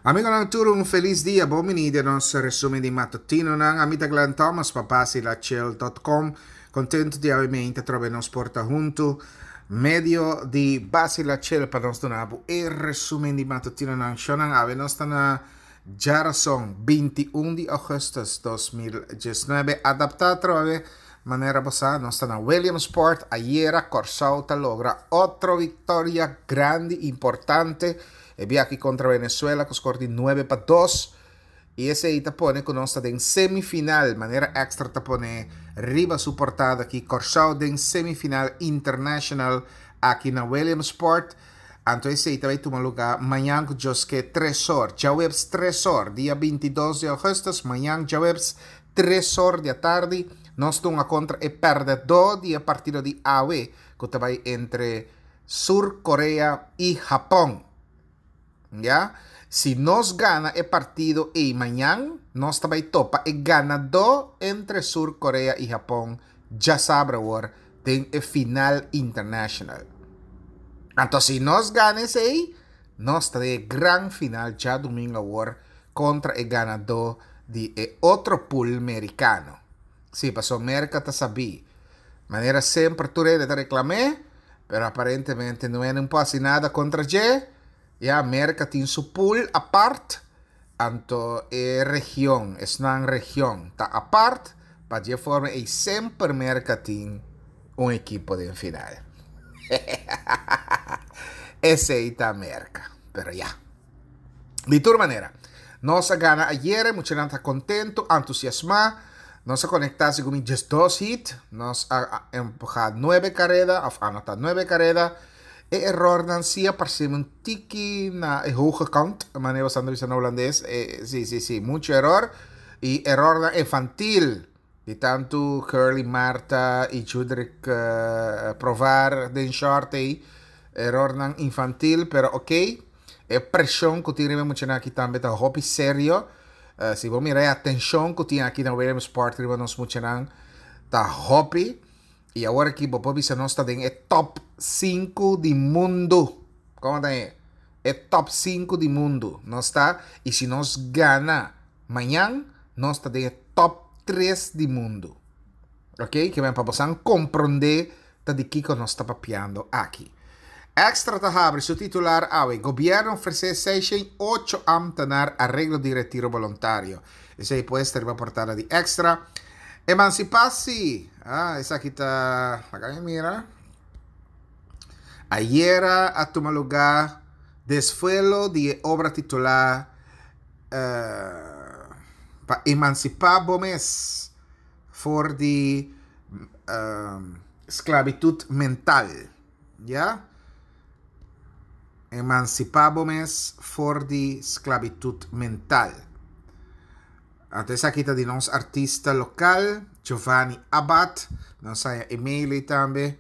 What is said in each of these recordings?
Amigonan tur un felis dia, bon bini den nos resumen di matutinonan. Ami ta Glenn Thomas pa basilachel.com. Contento di awe meinta trobe nos por ta hunto medio di Basilachel pa nos duna bo e resumen di matutinonan. Shownan awe nos ta na djarason 21 di augustus 2019. Adapta trobe manera bo sa nos ta na Williamsport. Ayera Kòrsou ta logra otro victoria grandi importante. E biaha kontra Venezuela ku skor di 9-2. I esei ta pone ku nos ta den semifinal, manera Extra ta pone riba su portada aki, Kòrsou den semifinal international aki na Williamsport. Anto esei ta bai tuma lugá mañan ku Dios ke 3 or, djaweps 3 or, dia 22 di ougùstùs, mañan djaweps 3 or di atardi, nos ta hunga kontra e pèrdèdó di e partido di awe ku ta bai entre Sur Korea i Hapon. Ya? Si nos gana e partido ei mañan, nos ta bai topa e ganadó entre Sur Korea i Hapon djasabra awor den e final international. Anto si nos gana esei, nos ta den e gran final djadumingu awor kontra e ganadó di e otro pool merikano. Sí, pasobra Merka ta sabí. Manera semper tur hende ta reklam'é, pero aparentemente no hende por hasi nada kontra dje. Ya Merka tin su pool apart, anto e region, esnan region ta apart, pa dje forma ei semper Merka tin un ekipo den final. Esei ta Merka, pero ya. Di tur manera, nos a gana ayere, muchanan ta contento, entusiasma. Nos a conecta segun mi 12 hit, nos a empuja 9 careda, of anota 9 careda. E errornan si a parce un tiki na e hoge kant, manera bo sa bisa na holandes. Si, si, si, mucho error. Y errornan infantil di tanto Curly Marta y Judrick Provar den short ei. Errornan infantil, pero ok. E preshon ku tin riba e muchanan aki tambe ta hopi serio. Si bo mira e atenshon ku tin aki na Williamsport riba nos muchanan ta hopi. I awor aki bo por bisa nos ta den e top 5 di mundu. Komo ta e? E top 5 di mundu nos ta. I si nos gana mañan, nos ta den e top 3 di mundu. Ok, ke men pa bosan komprondé ta di kiko nos ta papiando aki. Extra ta habri su titular awe, Gobierno ofresé 608 ambtenaar areglo di retiro boluntario. Esei pues ta riba portada di Extra. Emansipasi, ah, esaki ta, laga mi mira. Ayera a tuma lugá desvuelo di e obra titulá Pa emansipá bo mes for di sklabitut mental, ya. Emansipá bo mes for di sklabitut mental. Anto esaki ta di nos artista lokal, Giovanni Abad. Nos haya e mail ei tambe.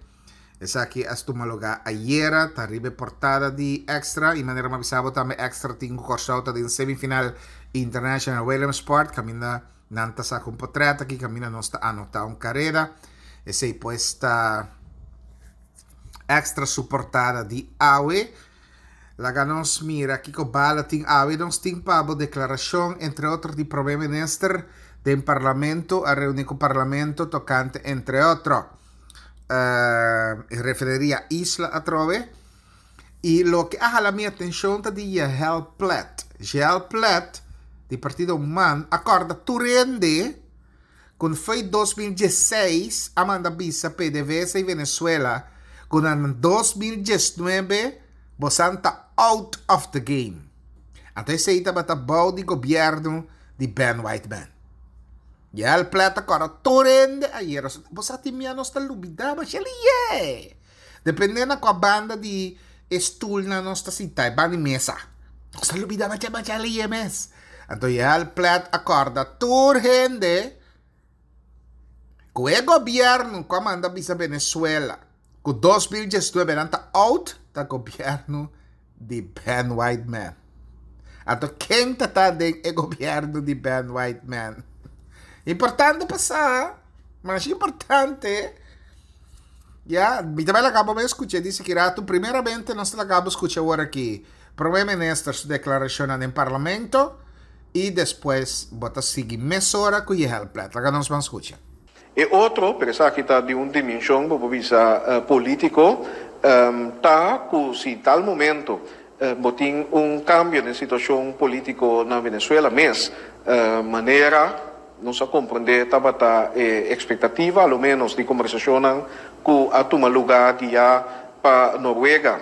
Esaki a tuma lugá ayera, ta riba e portada di Extra. I manera mi a bisa bo tambe Extra tin ku Kòrsou ta den semifinal International Williamsport kaminda nan ta saka un potrèt aki kaminda nos ta anotá un kareda. Esei pues ta Extra su portada di awe. Laga nos mira kiko bala tin awe. Nos tin pa bo deklarashon entre otro di Prome Minister den Parlamento a reuni ku Parlamento tokante entre otro e refineria Isla atrobe. I loke a hala mi atenshon ta di Jahel Plet. Jahel Plet di partido man a kòrda tur hende ku foi 2016 a manda bisa PDVSA i Venezuela ku na 2019 bosan ta out of the game. Anto esei tabata bou di gobièrnu di Ben Whiteman. Jahel Plet a kòrda tur hende ayera. Bo sa tin mia nos ta lubidá masha liye. Depende na kua banda di e stoelnan nos ta sinta, e banda di mesa. Nos ta lubida masha masha liye mes. Anto Jahel Plet a kòrda tur hende ku e gobièrnu ku a manda bisa Venezuela ku 2019 nan ta out, ta gobièrnu di Ben Whiteman. Anto ken ta ta den e gobièrnu di Ben Whiteman? Importante pa sa, masha importante. Ya, mi ta bai laga bo bai skucha di siki ratu. Primeramente nos ta laga bo skucha awor aki. Prome Minister su deklarashonnan den Parlamento i despues bo ta sigui mesora ku Yehel Plet. Laga nos ban skucha. E otro, pero esaki ta di un dimenshon bo por bisa polítiko, ta ku si tal momento bo tin un kambio den situashon polítiko na Venezuela mes, manera nos a komprendé tabata e ekspektativa a lo ménos di kombersashonnan ku a tuma lugá guiá pa Noruega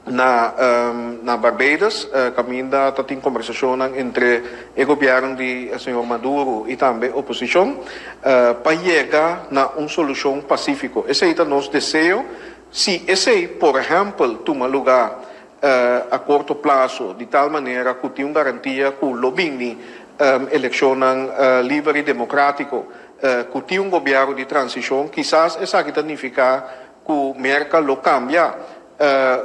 na na Barbados, kaminda ta tin kombersashonnan entre e gobièrnu di señor Maduro i tambe oposishon pa yega na un solushon pasífiko. Esei ta nos deseo. Si esei, por ehèmpel, tuma lugá a korto plaso di tal manera ku tin un garantia ku lo bini elekshonnan liber i demokrátiko, ku tin un gobièrnu di transishon, kisas esaki ta nifiká ku Merka lo kambia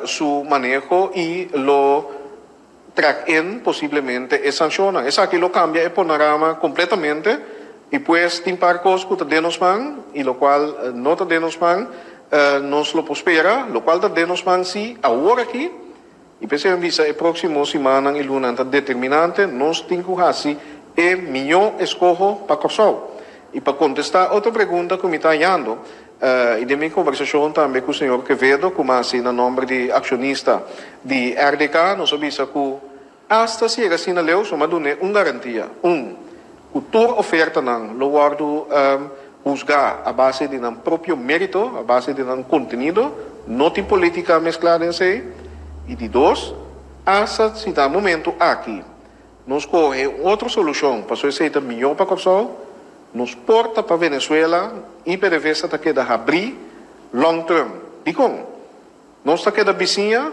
su maneho i lo trek in posiblemente e sanshonnan. Esaki lo kambia e panorama kompletamente i pues tin par kos ku ta den nos man i lokual no ta den nos man nos lo por spera. Lokual ta den nos man si awor aki i p'esei mi bisa e próksimo simannan i lunanan ta determinante, nos tin ku hasi e mihó eskoho pa Kòrsou. I pa kontestá otro pregunta ku mi ta hañando i den mi kombersashon tambe ku señor Quevedo ku masi na nòmber di akshonista di RDK nos a bisa ku asta si yega asina leu so m'a dun'é un garantia, un, ku tur ofertanan lo wòrdu husgá a base di nan propio mérito, a base di nan kontenido, no tin polítika mesklá den esei, i di dos, asta si ta momentu aki nos kohe un otro solushon pasobra esei ta mihó pa Kòrsou, nos porta pa Venezuela i PDVSA ta keda habrí long term. Dikon? Nos ta keda bisiña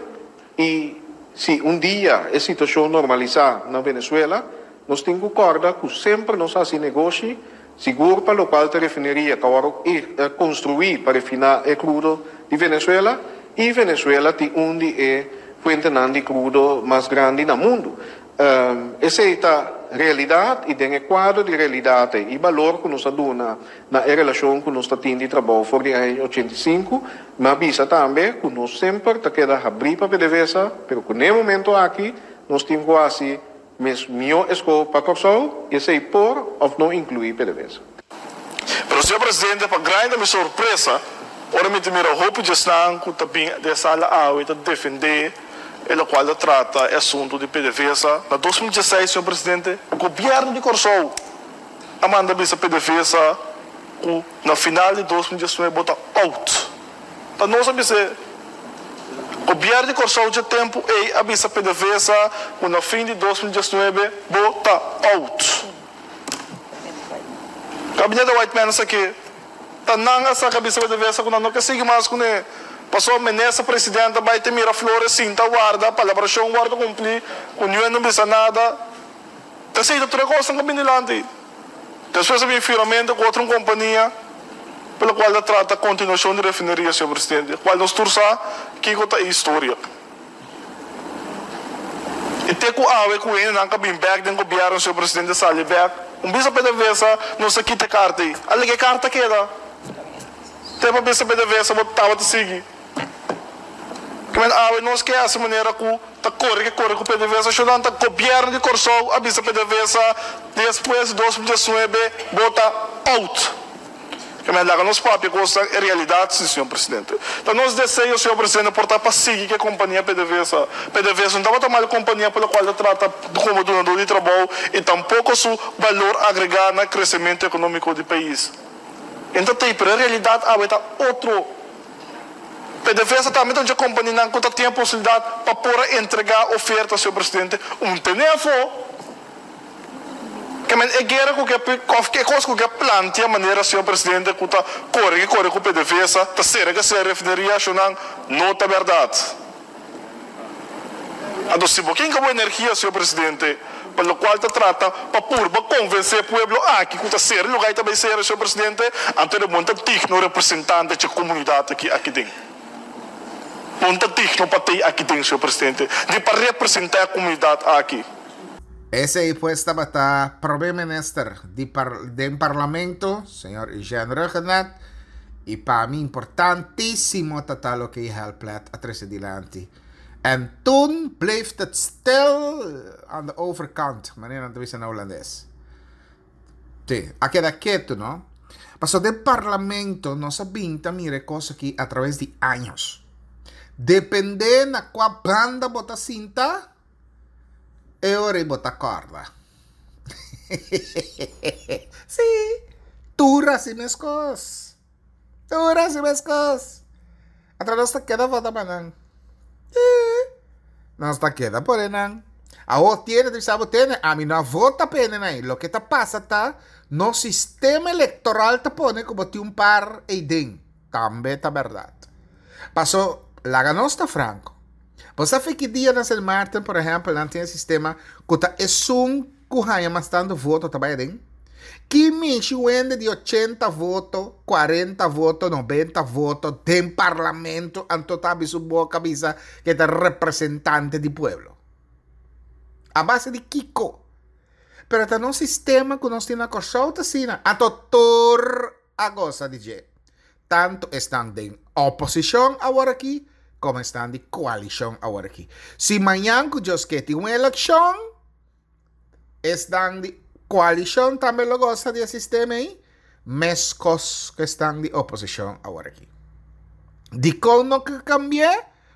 i si un dia e situashon normalisá na Venezuela, nos tin ku kòrda ku semper nos hasi negoshi, sigur pa lokual ta refineria ku a wòrdu konstruí pa refiná e krudo di Venezuela i Venezuela tin un di e fuentenan di krudo mas grandi na mundu. Esei ta realidat i den e kuadro di realidat ei i balor ku nos a duna na e relashon ku nos ta tin di trabou for di aña 85, mi a bisa tambe ku nos semper ta keda habrí pa PDVSA, pero ku n'e momento aki nos tin ku hasi mes mihó eskoho pa Kòrsou i esei por òf no inkluí PDVSA. Pero señor Presidente, pa grandi ta mi sorpresa ora mi ta mira hopi djesnan ku ta bin den e sala awe ta defendé E lokual ta trata e asuntu di PDVSA. Na 2016, señor Presidente, Gobièrnu di Kòrsou a manda bisa PDVSA ku na final di 2019 bo ta out. Ta nos a bis'é. Gobièrnu di Kòrsou dje tempu ei a bisa PDVSA ku na fin di 2019 bo ta out. Gabinete Whiteman esaki. Ta nan a saka bisa PDVSA ku nan no ke sigui mas kuné. Pasobra minister president a bai te Miraflores sinta warda palabrashon wòrdu kumplí ku niun no bisa nada. Ta esei ta tur e kosnan ku a bini dilanti. Despues a bin firmamento ku otro un kompania pa lokual ta trata kontinuashon di refineria, señor presidente, kual nos tur sa kiko ta e historia. I te ku awe ku hendenan ka bin bek den gobièrnu, señor presidente sali bek, un bisa PDVSA nos a kita e karta ei. A lege e karta keda. Te pa bisa PDVSA bo tabata sigui. Kimen awe nos ke hasi manera ku ta kore ke kore ku PDVSA shonnan ta gobièrnu di Kòrsou a bisa PDVSA despues di 2019 bo ta out. E men laga nos papia kosnan e realidat si, señor presidente. Ta nos deseo, señor presidente, por ta pa sigui ku e kompania PDVSA. PDVSA no tabata mal kompania pa lokual ta trata komo dunadó di trabou i tampoko su balor agregá na kresementu ekonómiko di pais. E no ta tei, pero e realidat awe ta otro. PDVSA tambe ta un dje kompanianan ku ta tin e posibilidat pa por a entregá oferta, señor presidente, un tene afó. Ke men e guera ku ke òf e kos ku ke plantia manera señor presidente ku ta kore ke kore ku PDVSA ta sera ke sera refineria shonnan no ta bèrdat. Anto si bo kinka bo energia señor presidente pa lokual ta trata pa purba konvensé pueblo aki ku ta sera luga i ta bai sera señor presidente anto bo no ta digno representante dje komunidat aki aki den. Bo no ta digno pa tei aki den señor presidente ni pa representá e komunidat aki. Esei pues tabata Prome Minister di par den Parlamento, señor Eugène Rhuggenaath, i pa mi importantísimo ta ta loke e helplet a trese dilanti. En toen bleef het stil aan de overkant, manera nan ta bisa na Hulandes. Sí, a keda ketu, no? Pasobra den parlamento nos a bin ta mira e kos aki a traves di años. Depende na kua banda bo ta sinta, e ora ei bo ta kòrda. Sí, tur hasi meskos. Tur hasi meskos. Atra nos ta keda vota pa nan. Nos ta keda por e nan. Awor tiene, ta bisa bo tene, ami no a vota pa e nan. Loke ta pasa ta, nos sistema electoral ta pone ku bo tin un par eiden. Tambe ta bèrdat. Paso, laga nos ta franko. Bo sa fe ki dia na Sint Maarten, por ehèmpel, nan tin e sistema ku ta esun ku haña mas tantu voto ta bai aden? Ki mishi wende di ochenta voto, kuarenta voto, nobenta voto den parlamento anto ta habri su boka bisa ku e ta representante di pueblo? A base di kiko? Pero ta nos sistema ku nos tin na Kòrsou ta asina. Anto tur a gosa di dje. Tantu esnan den oposishon aworakí komo esnan di koalishon aworakí. Si mañan ku Dios ke tin un elekshon, esnan di koalishon tambe lo gosa di e sistema ei, meskos ku esnan di oposishon aworakí. Dikon no ke kambi'é?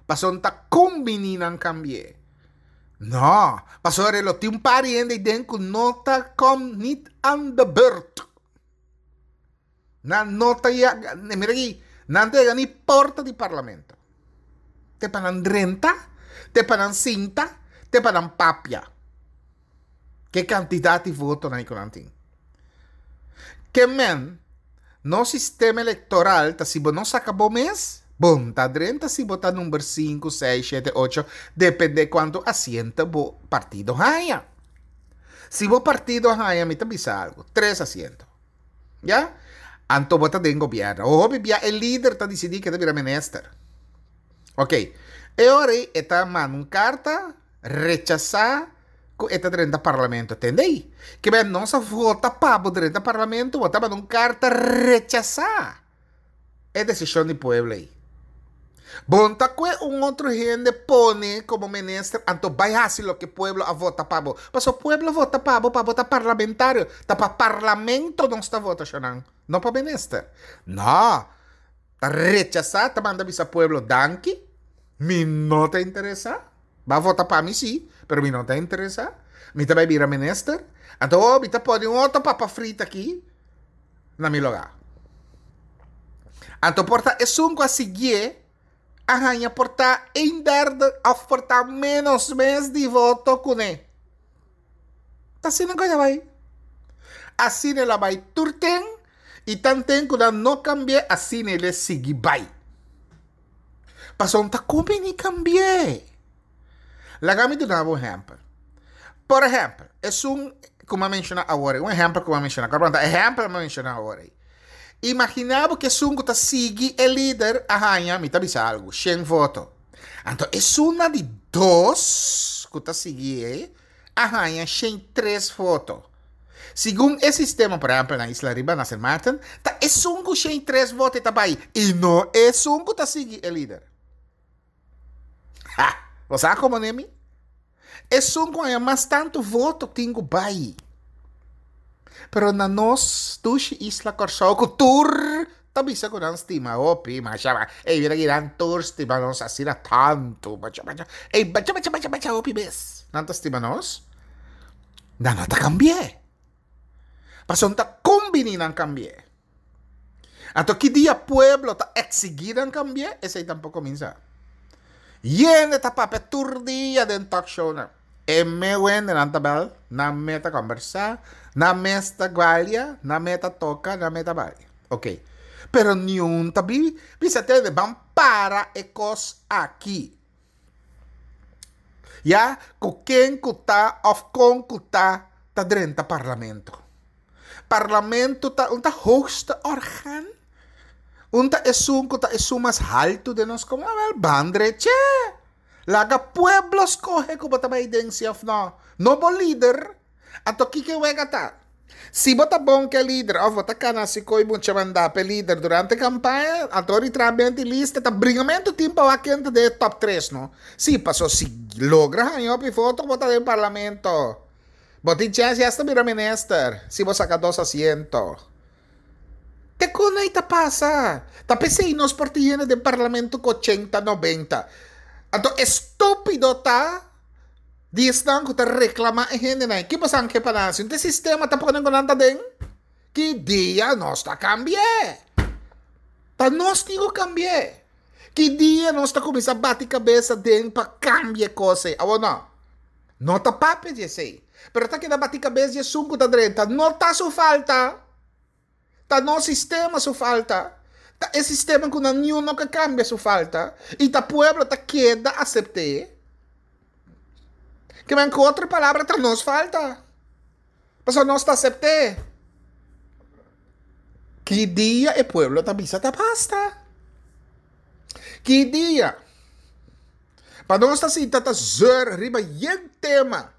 Pasobra no ta kumbiní nan kambi'é. No, pasobra lo tin un par di hende ei den ku no ta kom nit aan de beurt. Nan no ta yaga, mira aki, nan ta yaga ni porta di parlamento. Te pa nan drenta, te pa nan sinta, te pa nan papia. Ke kantidat di votonan ku nan tin. Ke men, nos sistema elektoral ta si bo no saka bo mes, bo no ta drenta si bo ta number sinku, seis, shete, ocho, depende kuantu asiento bo partido haña. Si bo partido haña, mi ta bisa algu, tres asiento. Ya? Anto bo ta den gobierno. O hopi bia e lider ta disidí ke ta bira minister. Ok. E ora ei e ta manda un karta rechasá ku e ta drenta parlamento. Tende ei? Ke ben nos a vota pa bo drenta parlamento, bo ta manda un karta rechasá e desishon di pueblo ei. Bon ta kue un otro hende pone komo minister anto bai hasi loke pueblo a vota pa bo. Pasobra pueblo a vota pa bo pa bo ta parlamentario. Ta pa parlamento nos ta vota shonnan, no pa minister. No, ta rechasa, ta manda bisa pueblo danki, mi no ta interesa. Bo a vota pa mi si, pero mi no ta interesa. Mi ta bai bira minister. Anto oh mi ta pone un otro papa frita aki. na mi lugá. Anto por ta esun ku a siguié a haña por ta een derde òf por ta ménos mes di voto kuné. Ta asina ku el a bai. Asina el a bai tur ten i tanten ku nan no kambi'é asina el a sigui bai. Pasobra no ta kumbiní kambi'é. Laga mi duna bo un ehèmpel. Por ehèmpel, esun ku mi a menshoná awor ei, un ehèmpel ku mi a menshoná, kòrda bo ta ehèmpel mi a menshoná awor ei. Imaginá bo ku esun ku ta sigui e lider a haña, mi ta bisa algu, shen voto. Anto esun na di dos ku ta sigui e a haña shen tres voto. Segun e sistema, por ehèmpel na Isla Riba, na Sint Maarten, ta esun ku shen tres voto e ta bai i no esun ku ta sigui e lider. Ha! Bo sa komo Nemi? Esun ku haña mas tantu voto tin ku bai. Pero na nos dushi isla Kòrsou ku tur ta bisa ku nan stima hopi, masha ma, ey mira ki nan tur stima nos asina tantu, masha masha, ey masha masha masha masha hopi bes nan ta stima nos, nan no ta kambi'é. Pasobra ta kombini nan kambi'é. Anto ki dia pueblo ta exigí nan cambié, esei tampoco mi sa. Yende ta papia tur dia den talk shownan. E me wendenan ta bel, nan me ta combersa, nan mes ta gualia, nan me ta toca, nan me ta balia. Ok. Pero niun ta bi bisa tende, ban para e cos aki. Ya cu ken cu ta of con cu ta ta drenta parlamento. Parlamento ta un ta hoogste orgaan. Un ta esun cu ta esun mas halto den nos comunidad. Wel, ban dreche. Laga pueblo scoge cu bo ta bay den si of no. No bo lider. Anto kiko e wega ta? Si bo ta bon ku e lider òf bo ta kana hasi koi mucha mandá pa e lider durante kampaña, anto ora di traha benti lista ta bringamentu tin pa wak ken ta den e top tres no. Si, paso si logra haña hopi voto bo ta den parlamento. Bo tin chèns di hasta bira minister si bo saka dos asiento. Te kon ei ta pasa? Ta p'esei nos por tin hende den parlamento ku ochenta, nobenta. Anto e stúpido ta di esnan ku ta reklamá e hendenan. Ki boso ke pa nan hasi? Un te sistema ta pone ku nan ta den? Ki dia nos ta kambi'é? Ta nos tin ku kambi'é. Ki dia nos ta kuminsá bati kabesa den pa kambia e kos ei? Awor no. No ta papia di esei. Pero ta keda bati kabes di esun ku ta drenta. No ta su falta. Ta nos sistema su falta. Ta e sistema ku nan niun no ke kambia su falta. I ta pueblo ta keda asept'é. Ke men ku otro palabra ta nos falta. Pasobra nos ta asept'é. Ki dia e pueblo ta bisa ta basta? Ki dia? Pa nos ta sinta ta zeur riba yen tema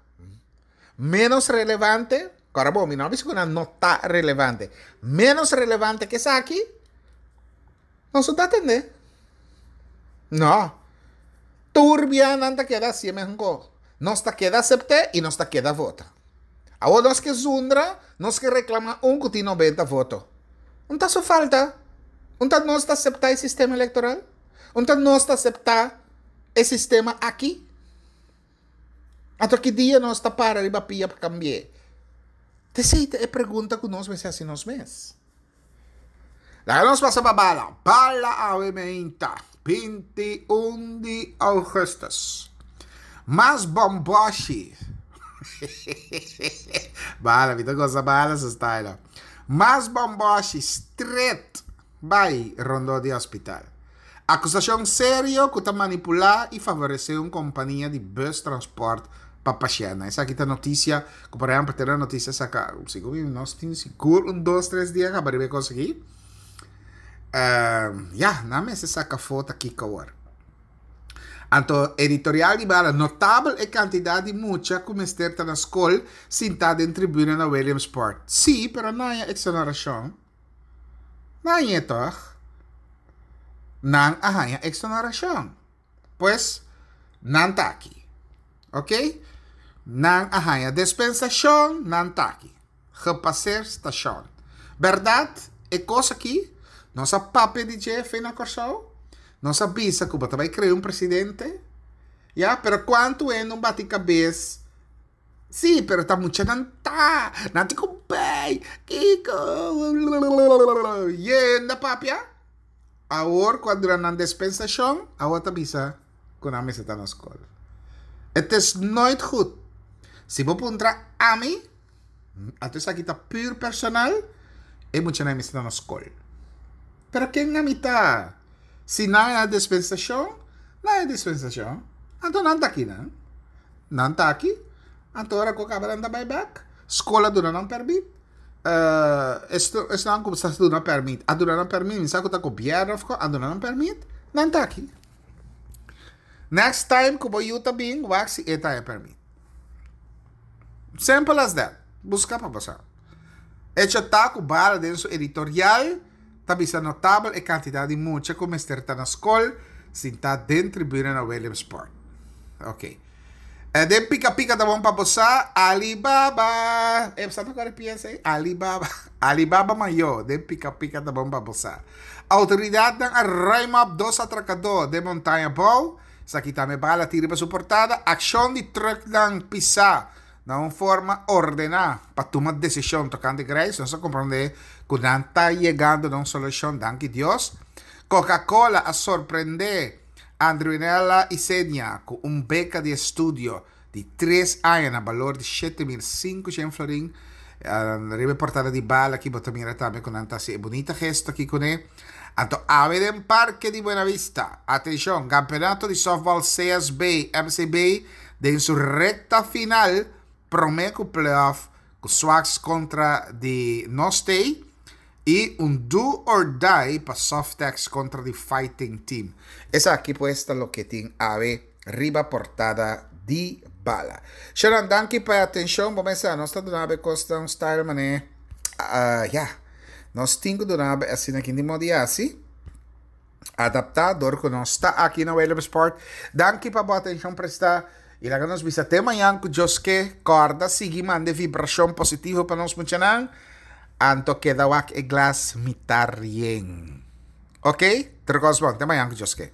menos relevante, kòrda bo, mi no a bisa ku nan no ta relevante, menos relevante ke esaki, nos no ta atendé. No. Tur bia nan ta keda hasié mesun kos. Nos ta keda asept'é i nos ta keda vota. Awor nos ke zundra, nos ke reklamá un ku tin nobenta voto. Un ta su falta. Un ta nos ta aseptá e sistema elektoral? Un ta nos ta aseptá e sistema aki? Anto ki dia nos ta para riba pia pa kambi'é? Ta esei ta e pregunta ku nos mester hasi nos mes. Laga nos pasa pa bala. Bala awe meinta, 21 di ougùstùs. Mas bòmbòshi. Bala, mi ta gosa bala su style. Mas bòmbòshi stret bai rondó di hospital. Akusashon serio ku ta manipulá i favoresé un kompania di bus transpòrt pa pashèntnan. Esaki ta notisia ku por ehèmpel te na notisia saka segun mi nos tin sigur un dos tres dia kaba riba e kos aki. Ya, nan mester saka afó ta kiko awor. Anto editorial di bala, notabel e kantidat di mucha ku mester ta na skol sintá den tribuna na Williamsport. Sí, pero nan haña eksonerashon. Nan hañ'é tòg? Nan a haña eksonarashon. Pues, nan ta aki. Oké? Nan a haña dispensashon, nan ta aki. Gepaseer stashon. Bèrdat, e kos aki, nos a papia di dje fe na Kòrsou. Nos a bisa ku bo ta bai krea un presidente. Ya, pero kuantu hende un bati kabes Sí, pero ta muchanan ta. Nan tin ku bay. Kiko. Yenda papia. Awor ku a dura nan dispensashon, awor ta bisa ku nan mester ta na skol. Het is nooit goed. Si bo puntra ami, anto esaki ta puur personal, e muchanan mester ta na skol. Pero ken ami ta? Si nan a dispensashon, nan a dispensashon. Anto nan ta akinan. Nan ta aki, anto ora ku kaba nan ta bai bek. Skol a duna nan pèrmit. Esnan ku sa duna pèrmit a duna nan pèrmit, mi sa ku ta gobièrnu òf kos a duna nan pèrmit, nan ta aki. Next time ku bo yu ta bin, wak si e ta haña pèrmit. Simple as that. Buska pa bo sa. Echo ta ku Bala den su editorial ta bisa notabel e kantidat di mucha ku mester ta na skol sintá den tribuna na Williamsport. Ok. E den pika pika ta bon pa bo sa, Alibaba! E sa ta kore piensa ei? Alibaba. Alibaba mayó, den pika pika ta bon pa bo sa. Outoridatnan a ruim op dos atrakadó den Montaña Bou. Esaki tambe bala tin riba su portada. Akshon di trùknan pisá Na un forma ordená pa tuma desishon tokante Grace, nos a komprondé ku nan ta yegando na un solushon, danki Dios. Coca-Cola a sorprendé Andruinella Isenia ku un beka di estudio di tres aña na balor di 7500 florin. Riba e portada di bala aki bo ta mira tambe ku nan ta hasi e bunita gesto aki kuné. Anto awe den Parke di Buena Vista, atenshon, Kampeonato di Softball CSB MCB den su rekta final promé ku playoff ku Swax kontra di Nostey i un do or die pa Softex kontra di Fighting Team. Esaki pues ta loke tin awe riba portada di. bala. Sharon, danki pa e atenshon. Bo mester nos ta duna bo kosnan style mané. Ya. Nos tin ku duna bo asina aki di modi hasi. Adaptá dor ku nos ta aki na Willemsport. Danki pa bo atenshon prestá. I laga nos bisa te mañan ku Dios ke. Kòrda sigui manda e vibrashon positivo pa nos muchanan. Anto keda wak e glas mitar yen. Ok? Tur kos bon. Te mañan ku Dios ke.